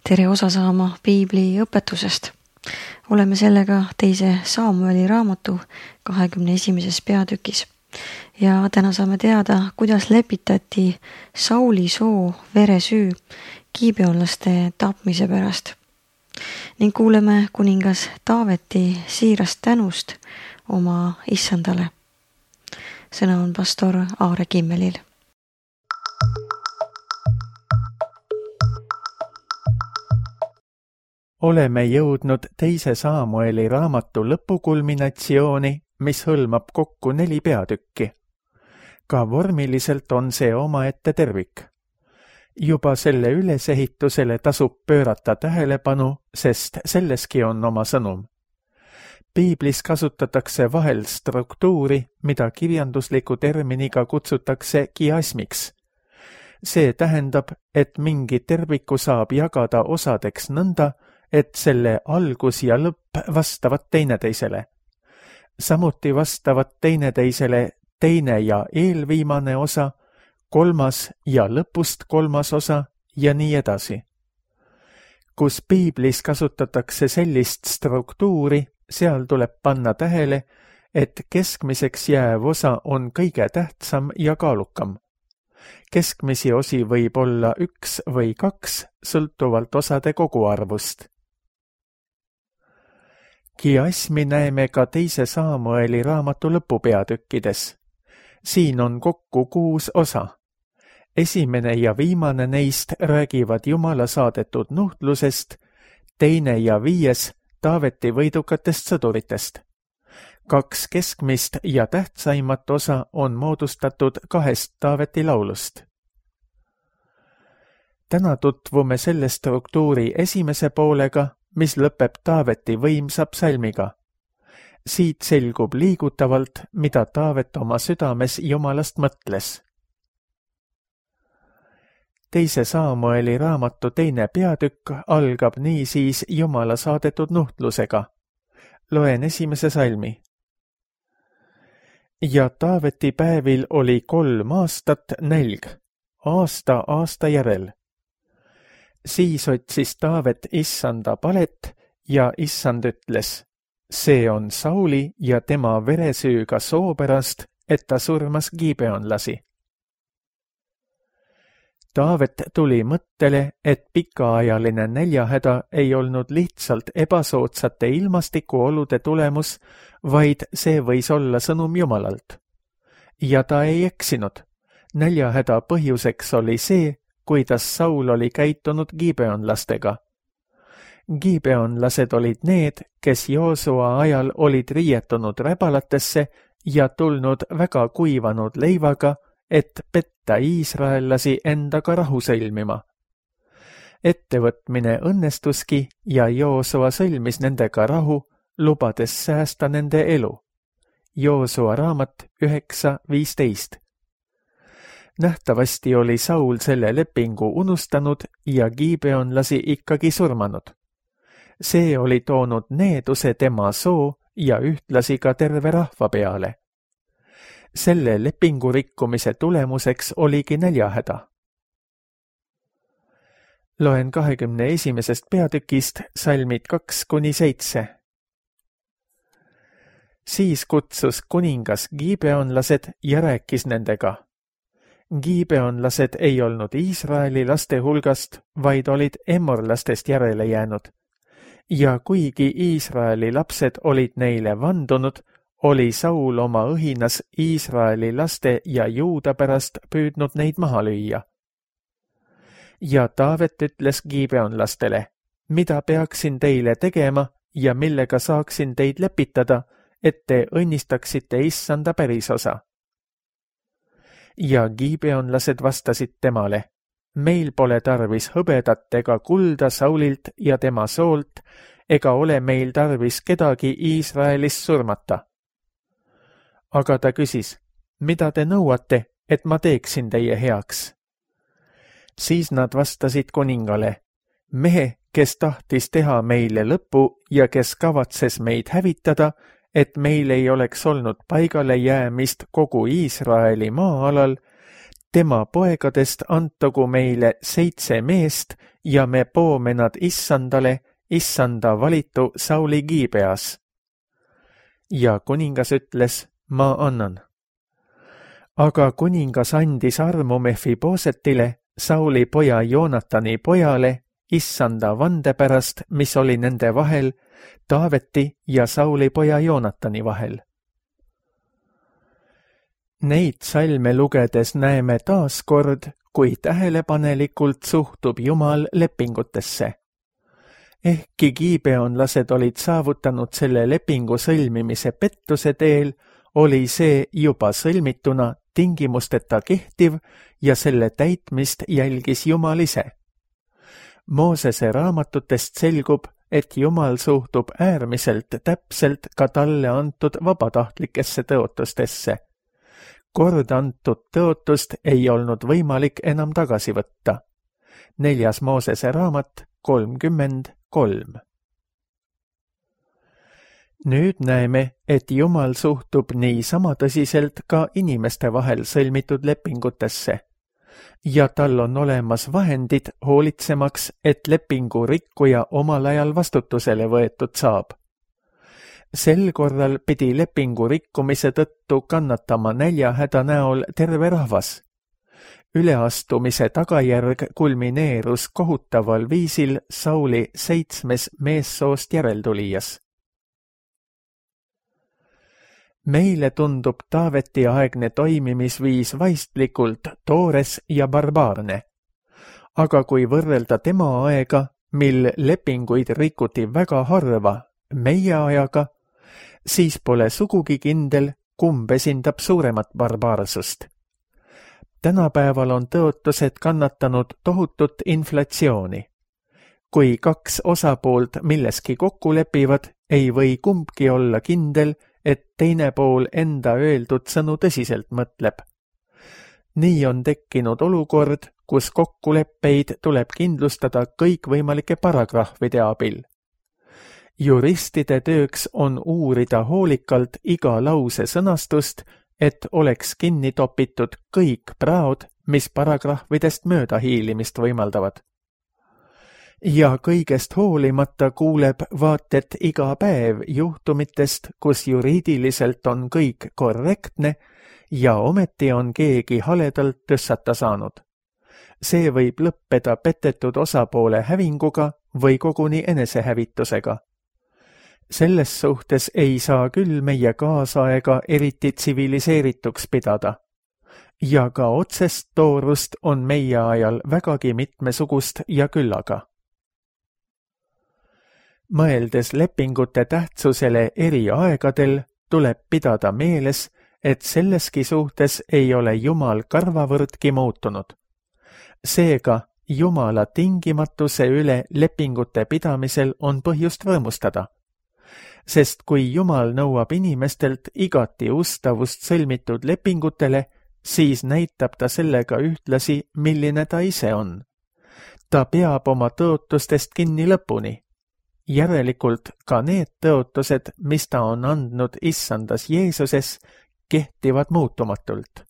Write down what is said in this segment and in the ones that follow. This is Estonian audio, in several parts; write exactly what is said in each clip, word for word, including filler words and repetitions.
tere osa saama piibli õpetusest. Oleme sellega teise Saamueli raamatu kahekümne esimeses peatükis. Ja täna saame teada, kuidas lepitati Sauli soo veresüü gibeonlaste tapmise pärast. Ning kuuleme kuningas Taaveti siirast tänust oma issandale. Sõna on pastor Aare Kimmelil. Oleme jõudnud teise Saamueli raamatu lõpukulminatsiooni, mis hõlmab kokku neli peatükki. Ka vormiliselt on see omaette tervik. Juba selle ülesehitusele tasub pöörata tähelepanu, sest selleski on oma sõnum. Piiblis kasutatakse vahel struktuuri, mida kirjandusliku terminiga kutsutakse kiasmiks. See tähendab, et mingi terviku saab jagada osadeks nõnda, et selle algus ja lõpp vastavad teineteisele. Samuti vastavad teineteisele teine ja eelviimane osa, kolmas ja lõpust kolmas osa ja nii edasi. Kus piiblis kasutatakse sellist struktuuri, seal tuleb panna tähele, et keskmiseks jääv osa on kõige tähtsam ja kaalukam. Keskmisi osi võib olla üks või kaks, sõltuvalt osade koguarvust. Kiasmi näeme ka teise Saamueli raamatu lõpupeatükkides. Siin on kokku kuus osa. Esimene ja viimane neist räägivad Jumala saadetud nuhtlusest, teine ja viies Taaveti võidukatest sõduritest. Kaks keskmist ja tähtsaimat osa on moodustatud kahest Taaveti laulust. Täna tutvume selle struktuuri esimese poolega, mis lõpeb Taaveti võimsa psalmiga. Siit selgub liigutavalt, mida Taavet oma südames Jumalast mõtles. Teise Saamueli raamatu teine peatükk algab niisiis Jumala saadetud nuhtlusega. Loen esimese salmi. Ja Taaveti päevil oli kolm aastat nälg, aasta aasta järel. Siis otsis Taavet issanda palet ja issand ütles, see on Sauli ja tema veresüüga soo pärast, et ta surmas gibeonlasi. Taavet tuli mõttele, et pikaajaline näljahäda ei olnud lihtsalt ebasoodsate ilmastikuolude tulemus, vaid see võis olla sõnum Jumalalt. Ja ta ei eksinud. Näljahäda põhjuseks oli see, kuidas Saul oli käitunud gibeonlastega. Gibeonlased olid need, kes Joosua ajal olid riietunud räbalatesse ja tulnud väga kuivanud leivaga, et petta iisraellasi endaga rahu sõlmima. Ettevõtmine õnnestuski ja Joosua sõlmis nendega rahu, lubades säästa nende elu. Joosua raamat üheksa viisteist. Nähtavasti oli Saul selle lepingu unustanud ja gibeonlasi ikkagi surmanud. See oli toonud needuse tema soo ja ühtlasi ka terve rahva peale. Selle lepingu rikkumise tulemuseks oligi näljahäda. Loen kahekümne esimesest peatükist salmid kaks kuni seitse. Siis kutsus kuningas gibeonlased ja rääkis nendega. Gibeonlased ei olnud Iisraeli laste hulgast, vaid olid emorlastest järele jäänud. Ja kuigi Iisraeli lapsed olid neile vandunud, oli Saul oma õhinas Iisraeli laste ja Juuda pärast püüdnud neid maha lüüa. Ja Taavet ütles gibeonlastele, mida peaksin teile tegema ja millega saaksin teid lepitada, et te õnnistaksite issanda pärisosa. Ja gibeonlased vastasid temale, meil pole tarvis hõbedat ega kulda Saulilt ja tema soolt, ega ole meil tarvis kedagi Iisraelis surmata. Aga ta küsis, mida te nõuate, et ma teeksin teie heaks? Siis nad vastasid kuningale, mehe, kes tahtis teha meile lõpu ja kes kavatses meid hävitada, et meil ei oleks olnud paigale jäämist kogu Iisraeli maa-alal, tema poegadest antagu meile seitse meest ja me poome nad issandale, issanda valitu Sauli Giibeas. Ja kuningas ütles, ma annan. Aga kuningas andis armu Mephibosetile, Sauli poja Joonatani pojale, issanda vande pärast, mis oli nende vahel, Taaveti ja Sauli poja Joonatani vahel. Neid salme lugedes näeme taas kord, kui tähelepanelikult suhtub Jumal lepingutesse. Ehkki giibeonlased olid saavutanud selle lepingu sõlmimise pettuse teel, oli see juba sõlmituna tingimusteta kehtiv ja selle täitmist jälgis Jumal ise. Moosese raamatutest selgub, et Jumal suhtub äärmiselt täpselt ka talle antud vabatahtlikesse tõotustesse. Kord antud tõotust ei olnud võimalik enam tagasi võtta. Neljas Moosese raamat kolmkümmend kolm. Nüüd näeme, et Jumal suhtub nii sama tõsiselt ka inimeste vahel sõlmitud lepingutesse. Ja tal on olemas vahendid hoolitsemaks, et lepingu rikkuja omal ajal vastutusele võetud saab. Sel korral pidi lepingu rikkumise tõttu kannatama näljahäda näol terve rahvas. Üleastumise tagajärg kulmineerus kohutaval viisil Sauli seitsmes meessoost järeltulijas. Meile tundub Taaveti aegne toimimisviis vaistlikult toores ja barbaarne. Aga kui võrrelda tema aega, mil lepinguid rikuti väga harva, meie ajaga, siis pole sugugi kindel, kumb esindab suuremat barbaarsust. Tänapäeval on tõotused kannatanud tohutut inflatsiooni. Kui kaks osapoolt milleski kokku lepivad, ei või kumbki olla kindel, et teine pool enda öeldud sõnu tõsiselt mõtleb. Nii on tekkinud olukord, kus kokkuleppeid tuleb kindlustada kõikvõimalike paragrahvide abil. Juristide tööks on uurida hoolikalt iga lause sõnastust, et oleks kinni topitud kõik praod, mis paragrahvidest mööda hiilimist võimaldavad. Ja kõigest hoolimata kuuleb vaatet iga päev juhtumitest, kus juriidiliselt on kõik korrektne ja ometi on keegi haledalt tõssata saanud. See võib lõppeda petetud osapoole hävinguga või koguni enesehävitusega. Selles suhtes ei saa küll meie kaasaega eriti tsiviliseerituks pidada. Ja ka otsest toorust on meie ajal vägagi mitmesugust ja küllaga. Mõeldes lepingute tähtsusele eri aegadel, tuleb pidada meeles, et selleski suhtes ei ole Jumal karvavõrdki muutunud. Seega, Jumala tingimatuse üle lepingute pidamisel on põhjust rõõmustada. Sest kui Jumal nõuab inimestelt igati ustavust sõlmitud lepingutele, siis näitab ta sellega ühtlasi, milline ta ise on. Ta peab oma tõotustest kinni lõpuni. Järelikult ka need tõotused, mis ta on andnud issandas Jeesuses, kehtivad muutumatult.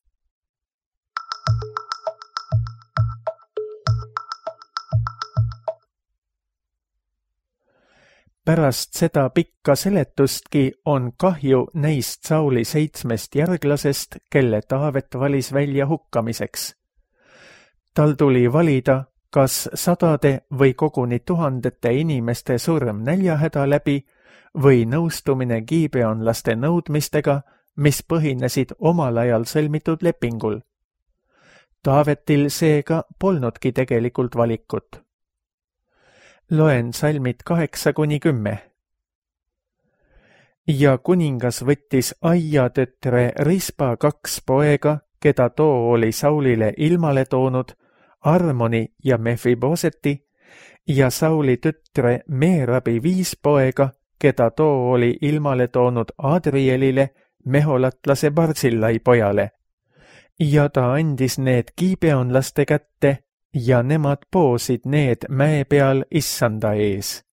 Pärast seda pikka seletustki on kahju neist Sauli seitsmest järglasest, kelle Taavet valis välja hukkamiseks. Tal tuli valida, kas sadade või koguni tuhandete inimeste surm näljahäda läbi või nõustumine giibeonlaste nõudmistega, mis põhinesid omal ajal sõlmitud lepingul. Taavetil seega polnudki tegelikult valikut. Loen salmid kaheksa kuni kümme. Ja kuningas võttis Aia tütre Rispa kaks poega, keda too oli Saulile ilmale toonud, Armoni ja Mephiboseti, ja Sauli tütre Meerabi viis poega, keda too oli ilmale toonud Adrielile, meholatlase Barzillai pojale. Ja ta andis need giibeonlaste kätte, ja nemad poosid need mäe peal issanda ees.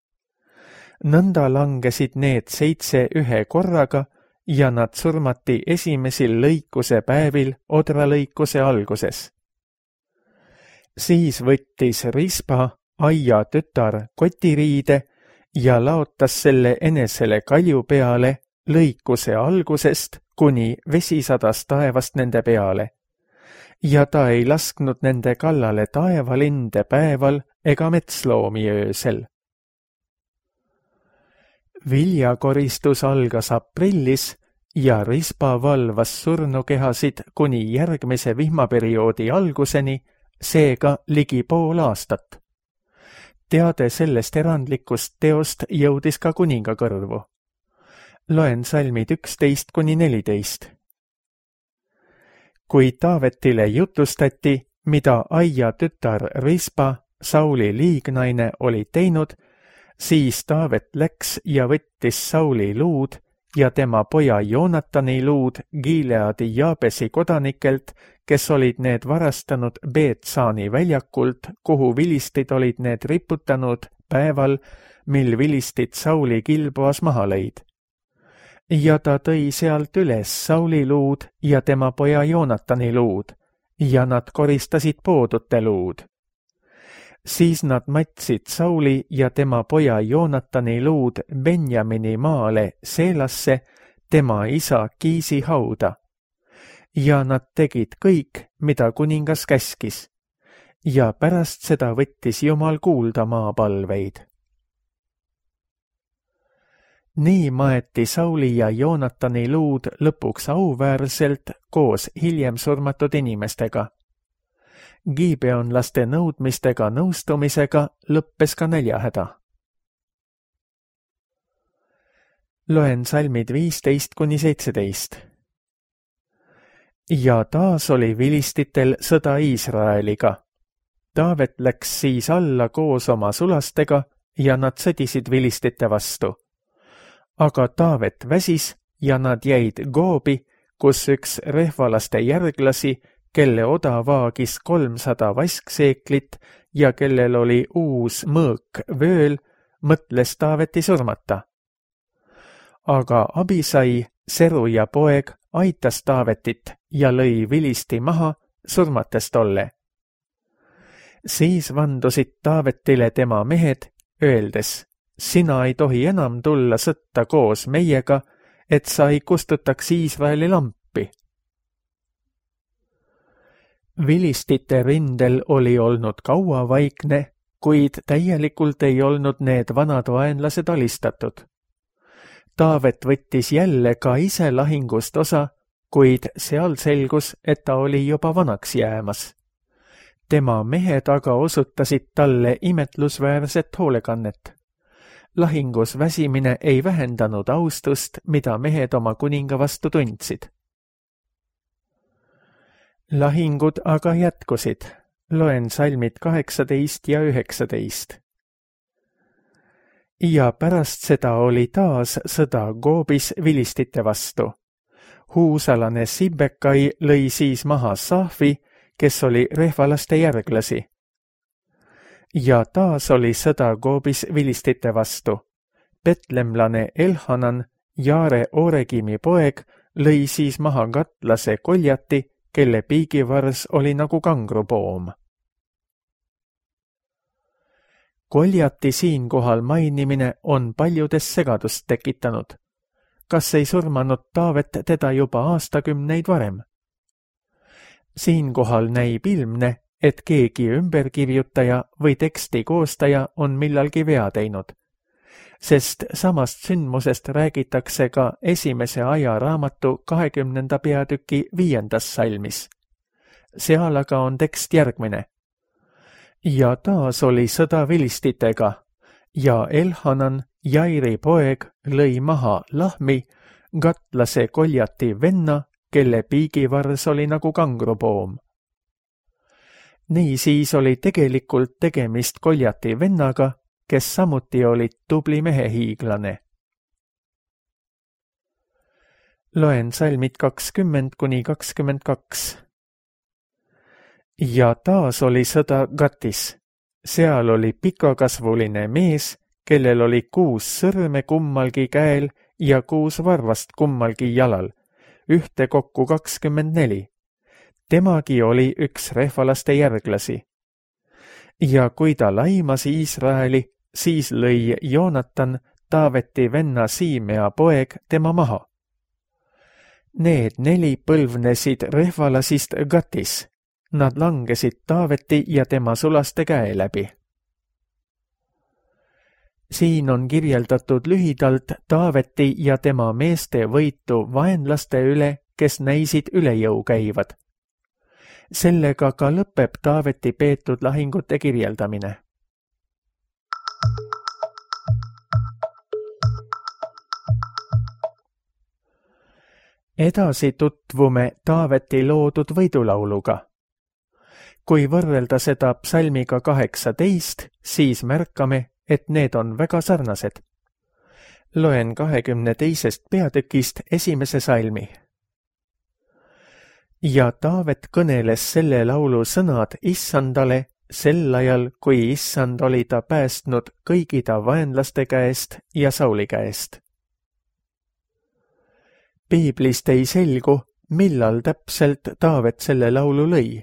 Nõnda langesid need seitse ühe korraga ja nad surmati esimesel lõikuse päevil odralõikuse alguses. Siis võttis Rispa, Aia tütar, kotiriide ja laotas selle enesele kalju peale lõikuse algusest, kuni vesi sadas taevast nende peale. Ja ta ei lasknud nende kallale taevalinde päeval ega metsloomi öösel. Viljakoristus algas aprillis ja Rispa valvas surnukehasid kuni järgmise vihmaperioodi alguseni, seega ligi pool aastat. Teade sellest erandlikust teost jõudis ka kuninga kõrvu. Loen salmid üksteist kuni neliteist. Kui Taavetile jutustati, mida Aia tütar Rispa, Sauli liignaine, oli teinud, siis Taavet läks ja võttis Sauli luud ja tema poja Joonatani luud Gileadi Jaabesi kodanikelt, kes olid need varastanud Beetsaani väljakult, kuhu vilistid olid need riputanud päeval, mil vilistid Sauli Gilboas maha lõid. Ja ta tõi sealt üles Sauli luud ja tema poja Joonatani luud, ja nad koristasid poodute luud. Siis nad matsid Sauli ja tema poja Joonatani luud Benjamini maale Seelasse, tema isa Kiisi hauda. Ja nad tegid kõik, mida kuningas käskis. Ja pärast seda võttis Jumal kuulda maapalveid. Nii maeti Sauli ja Joonatani luud lõpuks auväärselt koos hiljem surmatud inimestega. Gibeonlaste nõudmistega nõustumisega lõppes ka näljahäda. Loen salmid viisteist kuni seitseteist. Ja taas oli vilistitel sõda Iisraeliga. Taavet läks siis alla koos oma sulastega ja nad sõdisid vilistite vastu. Aga Taavet väsis ja nad jäid Goobi, kus üks rehvalaste järglasi, kelle oda vaagis kolmsada vaskseeklit ja kellel oli uus mõõk vööl, mõtles Taaveti surmata. Aga Abisai, Seruja poeg, aitas Taavetit ja lõi vilisti maha, surmates tolle. Siis vandusid Taavetile tema mehed, öeldes, sina ei tohi enam tulla sõtta koos meiega, et sa ei kustutaks Iisraeli lampi. Vilistite rindel oli olnud kaua vaikne, kuid täielikult ei olnud need vanad vaenlased alistatud. Taavet võttis jälle ka ise lahingust osa, kuid seal selgus, et ta oli juba vanaks jäämas. Tema mehed aga osutasid talle imetlusväärset hoolekannet. Lahingus väsimine ei vähendanud austust, mida mehed oma kuninga vastu tundsid. Lahingud aga jätkusid. Loen salmid kaheksateist ja üheksateist. Ja pärast seda oli taas sõda Goobis vilistite vastu. Huusalane Sibbekai lõi siis maha Saafi, kes oli rehvalaste järglasi. Ja taas oli sõda Goobis vilistite vastu. Betlemlane Elhanan, Jaare Oregimi poeg, lõi siis maha katlase Koljati, kelle piigivars oli nagu kangrupoom. Koljati siinkohal mainimine on paljudes segadust tekitanud. Kas ei surmanud Taavet teda juba aastakümneid varem? Siinkohal näib ilmne, et keegi ümberkirjutaja või teksti koostaja on millalgi vea teinud, sest samast sündmusest räägitakse ka esimese aja raamatu kahekümnenda peatüki viiendas salmis. Seal aga on tekst järgmine. Ja taas oli sõda vilistitega, ja Elhanan, Jairi poeg, lõi maha Lahmi, katlase Koljati venna, kelle piigivars oli nagu kangrupoom. Nii siis oli tegelikult tegemist Koljati vennaga, kes samuti oli tubli mehehiiglane. Loen salmid kakskümmend kuni kakskümmend kaks. Ja taas oli sõda Gatis. Seal oli pikakasvuline mees, kellel oli kuus sõrme kummalgi käel ja kuus varvast kummalgi jalal, ühte kokku kakskümmend neli. Temagi oli üks rehvalaste järglasi. ja kui ta laimas Iisraeli, siis lõi Joonatan, Taaveti venna Siimea poeg, tema maha. Need neli põlvnesid rehvalasist Gatis. Nad langesid Taaveti ja tema sulaste käe läbi. Siin on kirjeldatud lühidalt Taaveti ja tema meeste võitu vaenlaste üle, kes näisid üle jõu käivad. Sellega ka lõpeb Taaveti peetud lahingute kirjeldamine. Edasi tutvume Taaveti loodud võidulauluga. Kui võrrelda seda psalmiga kaheksateist, siis märkame, et need on väga sarnased. Loen kahekümne teisest peatükist esimese salmi. Ja Taavet kõneles selle laulu sõnad Issandale sel ajal, kui Issand oli ta päästnud kõigi ta vaenlaste käest ja Sauli käest. Piiblist ei selgu, millal täpselt Taavet selle laulu lõi.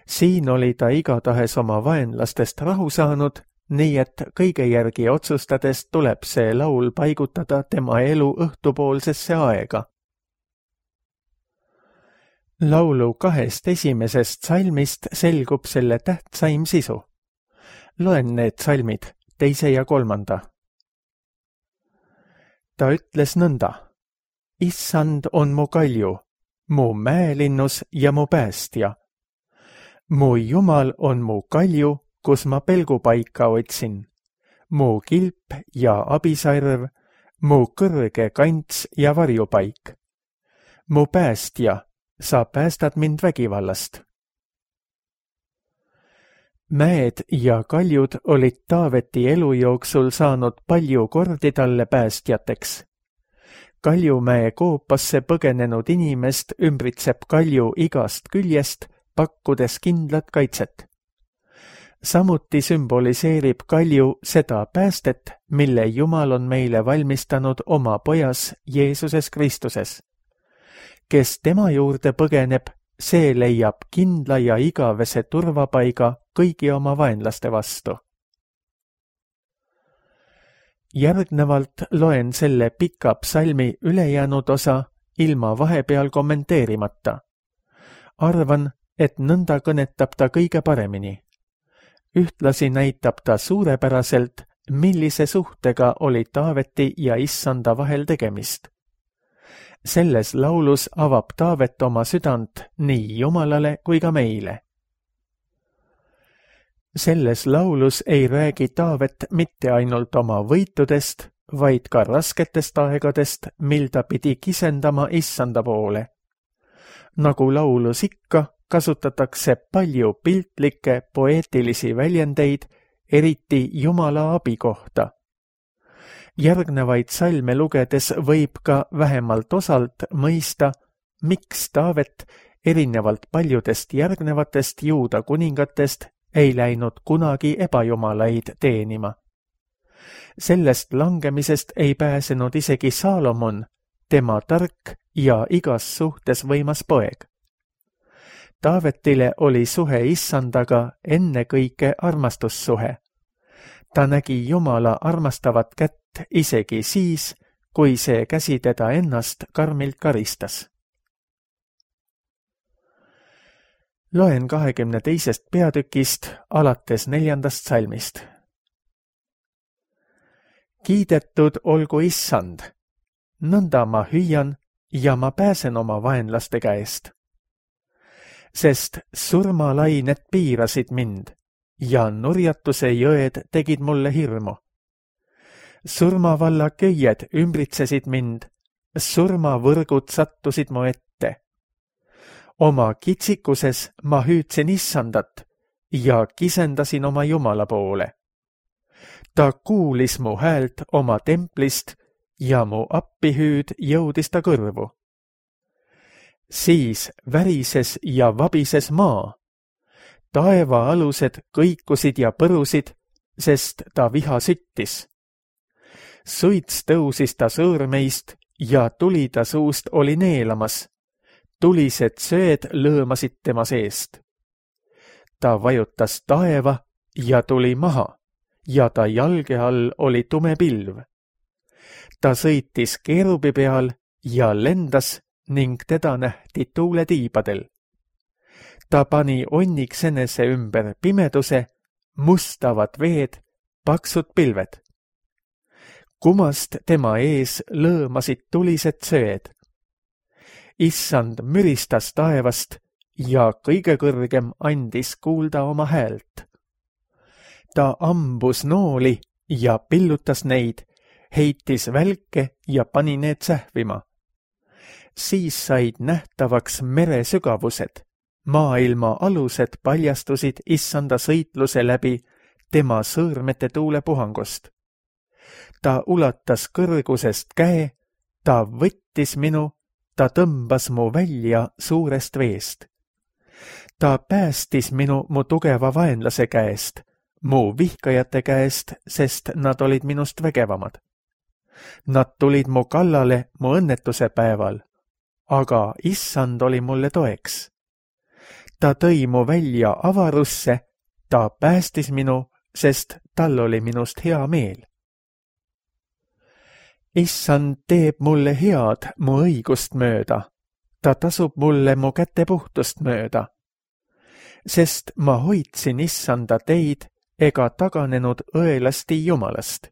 Siin oli ta igatahes oma vaenlastest rahu saanud, nii et kõige järgi otsustades tuleb see laul paigutada tema elu õhtupoolsesse aega. Laulu kahest esimesest salmist selgub selle tähtsaim sisu. Loen need salmid, teise ja kolmanda. Ta ütles nõnda. Issand on mu kalju, mu mäelinnus ja mu päästja. Mu Jumal on mu kalju, kus ma pelgupaika otsin. Mu kilp ja abisarv, mu kõrge kants ja varjupaik. Mu päästja, sa päästad mind vägivallast. Mäed ja kaljud olid Taaveti elu jooksul saanud palju kordi talle päästjateks. Kaljumäe koopasse põgenenud inimest ümbritseb kalju igast küljest, pakkudes kindlat kaitset. Samuti sümboliseerib kalju seda päästet, mille Jumal on meile valmistanud oma pojas Jeesuses Kristuses. Kes tema juurde põgeneb, see leiab kindla ja igavese turvapaiga kõigi oma vaenlaste vastu. Järgnevalt loen selle pika psalmi ülejäänud osa ilma vahepeal kommenteerimata. Arvan, et nõnda kõnetab ta kõige paremini. Ühtlasi näitab ta suurepäraselt, millise suhtega oli Taaveti ja Issanda vahel tegemist. Selles laulus avab Taavet oma südant nii Jumalale kui ka meile. Selles laulus ei räägi Taavet mitte ainult oma võitudest, vaid ka rasketest aegadest, mil ta pidi kisendama Issanda poole. Nagu laulus ikka, kasutatakse palju piltlikke poeetilisi väljendeid, eriti Jumala abi kohta. Järgnevaid salme lugedes võib ka vähemalt osalt mõista, miks Taavet, erinevalt paljudest järgnevatest Juuda kuningatest, ei läinud kunagi ebajumalaid teenima. Sellest langemisest ei pääsenud isegi Saalomon, tema tark ja igas suhtes võimas poeg. Taavetile oli suhe Issandaga ennekõike armastussuhe. Ta nägi Jumala armastavat kätt isegi siis, kui see käsi teda ennast karmilt karistas. Loen kahekümne teisest peatükist alates neljandast salmist. Kiidetud olgu Issand, nõnda ma hüüan ja ma pääsen oma vaenlaste käest. Sest surmalained piirasid mind ja nurjatuse jõed tegid mulle hirmu. Surmavalla köied ümbritsesid mind, surmavõrgud sattusid mu ette. Oma kitsikuses ma hüüdsin Issandat ja kisendasin oma Jumala poole. Ta kuulis mu häält oma templist ja mu appihüüd jõudis ta kõrvu. Siis värises ja vabises maa. Taeva alused kõikusid ja põrusid, sest ta viha süttis. Suits tõusis ta sõõrmeist ja tuli ta suust oli neelamas. Tulised söed lõõmasid tema seest. Ta vajutas taeva ja tuli maha ja ta jalge all oli tume pilv. Ta sõitis keerubi peal ja lendas ning teda nähti tuuletiibadel. Ta pani onniks enese ümber pimeduse, mustavad veed, paksud pilved. Kumast tema ees lõõmasid tulised söed. Issand müristas taevast ja kõige kõrgem andis kuulda oma häält. Ta ambus nooli ja pillutas neid, heitis välke ja pani need sähvima. Siis said nähtavaks mere sügavused, maailma alused paljastusid issanda sõitluse läbi tema sõõrmete tuulepuhangust. Ta ulatas kõrgusest käe, ta võttis minu, ta tõmbas mu välja suurest veest. Ta päästis minu mu tugeva vaenlase käest, mu vihkajate käest, sest nad olid minust vägevamad. Nad tulid mu kallale mu õnnetuse päeval, aga issand oli mulle toeks. Ta tõi mu välja avarusse, ta päästis minu, sest tal oli minust hea meel. Issand teeb mulle head mu õigust mööda, ta tasub mulle mu käte puhtust mööda. Sest ma hoidsin issanda teid ega taganenud õelasti Jumalast.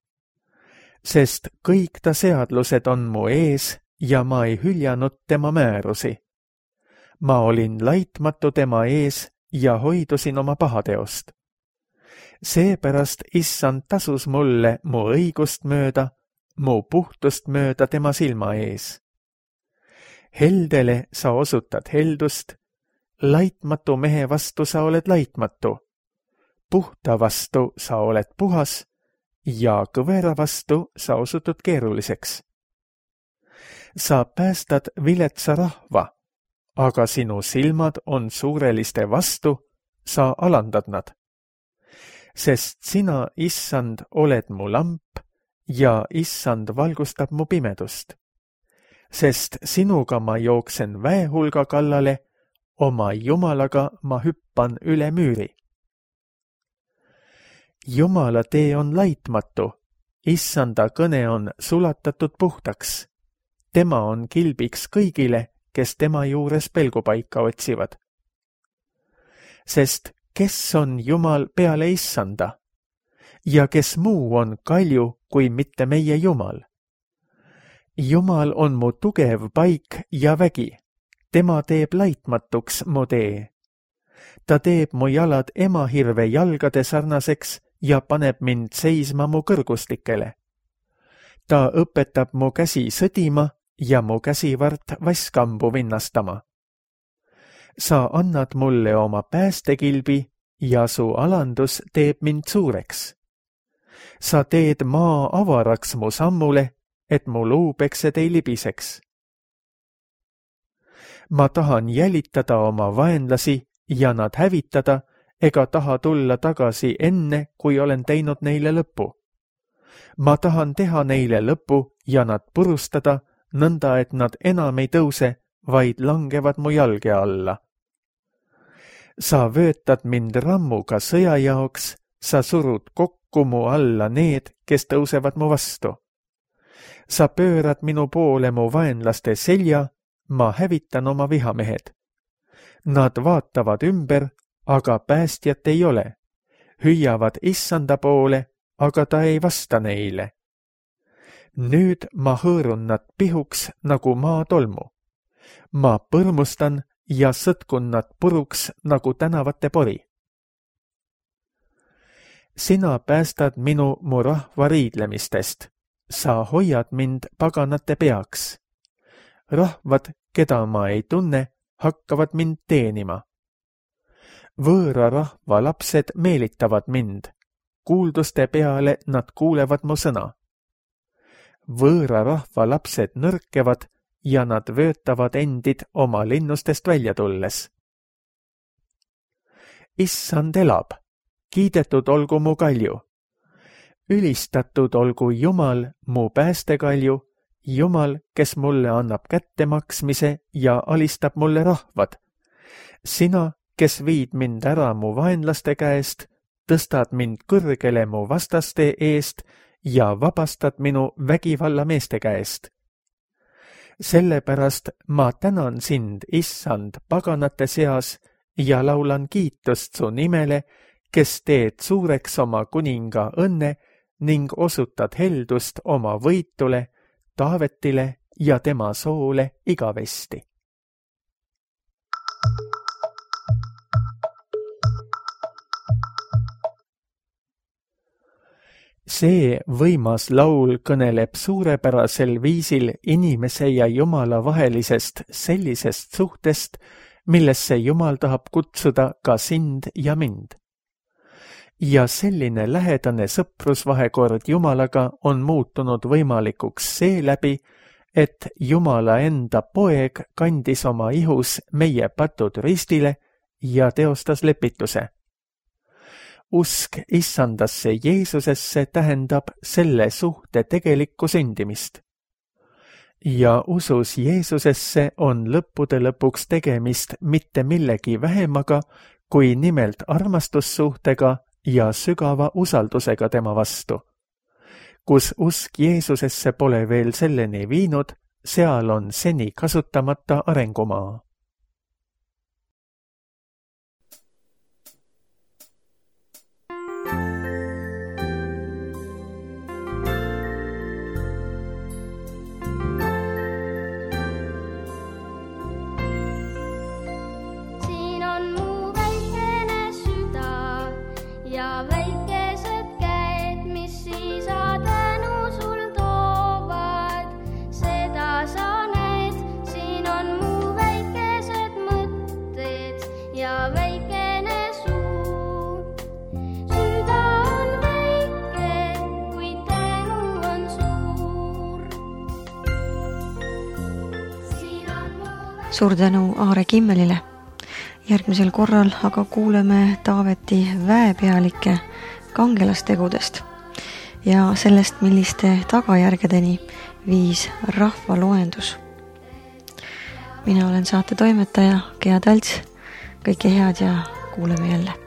Sest kõik ta seadlused on mu ees ja ma ei hüljanud tema määrusi. Ma olin laitmatu tema ees ja hoidusin oma pahateost. Seepärast issand tasus mulle mu õigust mööda, mu puhtust mööda tema silma ees. Heldele sa osutad heldust, laitmatu mehe vastu sa oled laitmatu, puhta vastu sa oled puhas ja kõvera vastu sa osutud keeruliseks. Sa päästad viletsa rahva, aga sinu silmad on suureliste vastu, sa alandad nad. Sest sina, issand, oled mu lamp ja issand valgustab mu pimedust. Sest sinuga ma jooksen väehulga kallale, oma Jumalaga ma hüppan üle müüri. Jumala tee on laitmatu, issanda kõne on sulatatud puhtaks. Tema on kilbiks kõigile, kes tema juures pelgupaika otsivad. Sest kes on Jumal peale issanda? Ja kes muu on kalju kui mitte meie Jumal? Jumal on mu tugev paik ja vägi. Tema teeb laitmatuks mu tee. Ta teeb mu jalad emahirve jalgade sarnaseks ja paneb mind seisma mu kõrgustikele. Ta õpetab mu käsi sõdima ja mu käsivart vaskambu vinnastama. Sa annad mulle oma päästekilbi ja su alandus teeb mind suureks. Sa teed maa avaraks mu sammule, et mu luupeksed ei libiseks. Ma tahan jälitada oma vaenlasi ja nad hävitada, ega taha tulla tagasi enne, kui olen teinud neile lõpu. Ma tahan teha neile lõpu ja nad purustada, nõnda et nad enam ei tõuse, vaid langevad mu jalge alla. Sa vöötad mind rammuga sõja jaoks, sa surud kokku mu alla need, kes tõusevad mu vastu. Sa pöörad minu poole mu vaenlaste selja, ma hävitan oma vihamehed. Nad vaatavad ümber, aga päästjat ei ole. Hüüavad issanda poole, aga ta ei vasta neile. Nüüd ma hõõrun nad pihuks nagu maa tolmu. Ma põrmustan ja sõtkun nad puruks nagu tänavate pori. Sina päästad minu mu rahva riidlemistest. Sa hoiad mind paganate peaks. Rahvad, keda ma ei tunne, hakkavad mind teenima. Võõra rahva lapsed meelitavad mind. Kuulduste peale nad kuulevad mu sõna. Võõra rahva lapsed nõrkevad ja nad vöötavad endid oma linnustest välja tulles. Issand elab, kiidetud olgu mu kalju. Ülistatud olgu Jumal, mu päästekalju, Jumal, kes mulle annab kättemaksmise ja alistab mulle rahvad. Sina, kes viid mind ära mu vaenlaste käest, tõstad mind kõrgele mu vastaste eest ja vabastad minu vägivalla meeste käest. Sellepärast ma tänan sind, issand, paganate seas ja laulan kiitust su nimele, kes teed suureks oma kuninga õnne ning osutad heldust oma võitule, Taavetile ja tema soole igavesti. See võimas laul kõneleb suurepärasel viisil inimese ja Jumala vahelisest sellisest suhtest, millesse Jumal tahab kutsuda ka sind ja mind. Ja selline lähedane sõprusvahekord Jumalaga on muutunud võimalikuks seeläbi, et Jumala enda poeg kandis oma ihus meie patud ristile ja teostas lepituse. Usk issandasse Jeesusesse tähendab selle suhte tegelikku sündimist. Ja usus Jeesusesse on lõppude lõpuks tegemist mitte millegi vähemaga, kui nimelt armastussuhtega ja sügava usaldusega tema vastu. Kus usk Jeesusesse pole veel selleni viinud, seal on seni kasutamata arengumaa. Suur tänu Aare Kimmelile. Järgmisel korral aga kuuleme Taaveti väepealike kangelastegudest ja sellest, milliste tagajärgedeni viis rahvaloendus. Mina olen saate toimetaja Gea Talts. Kõike head ja kuuleme jälle.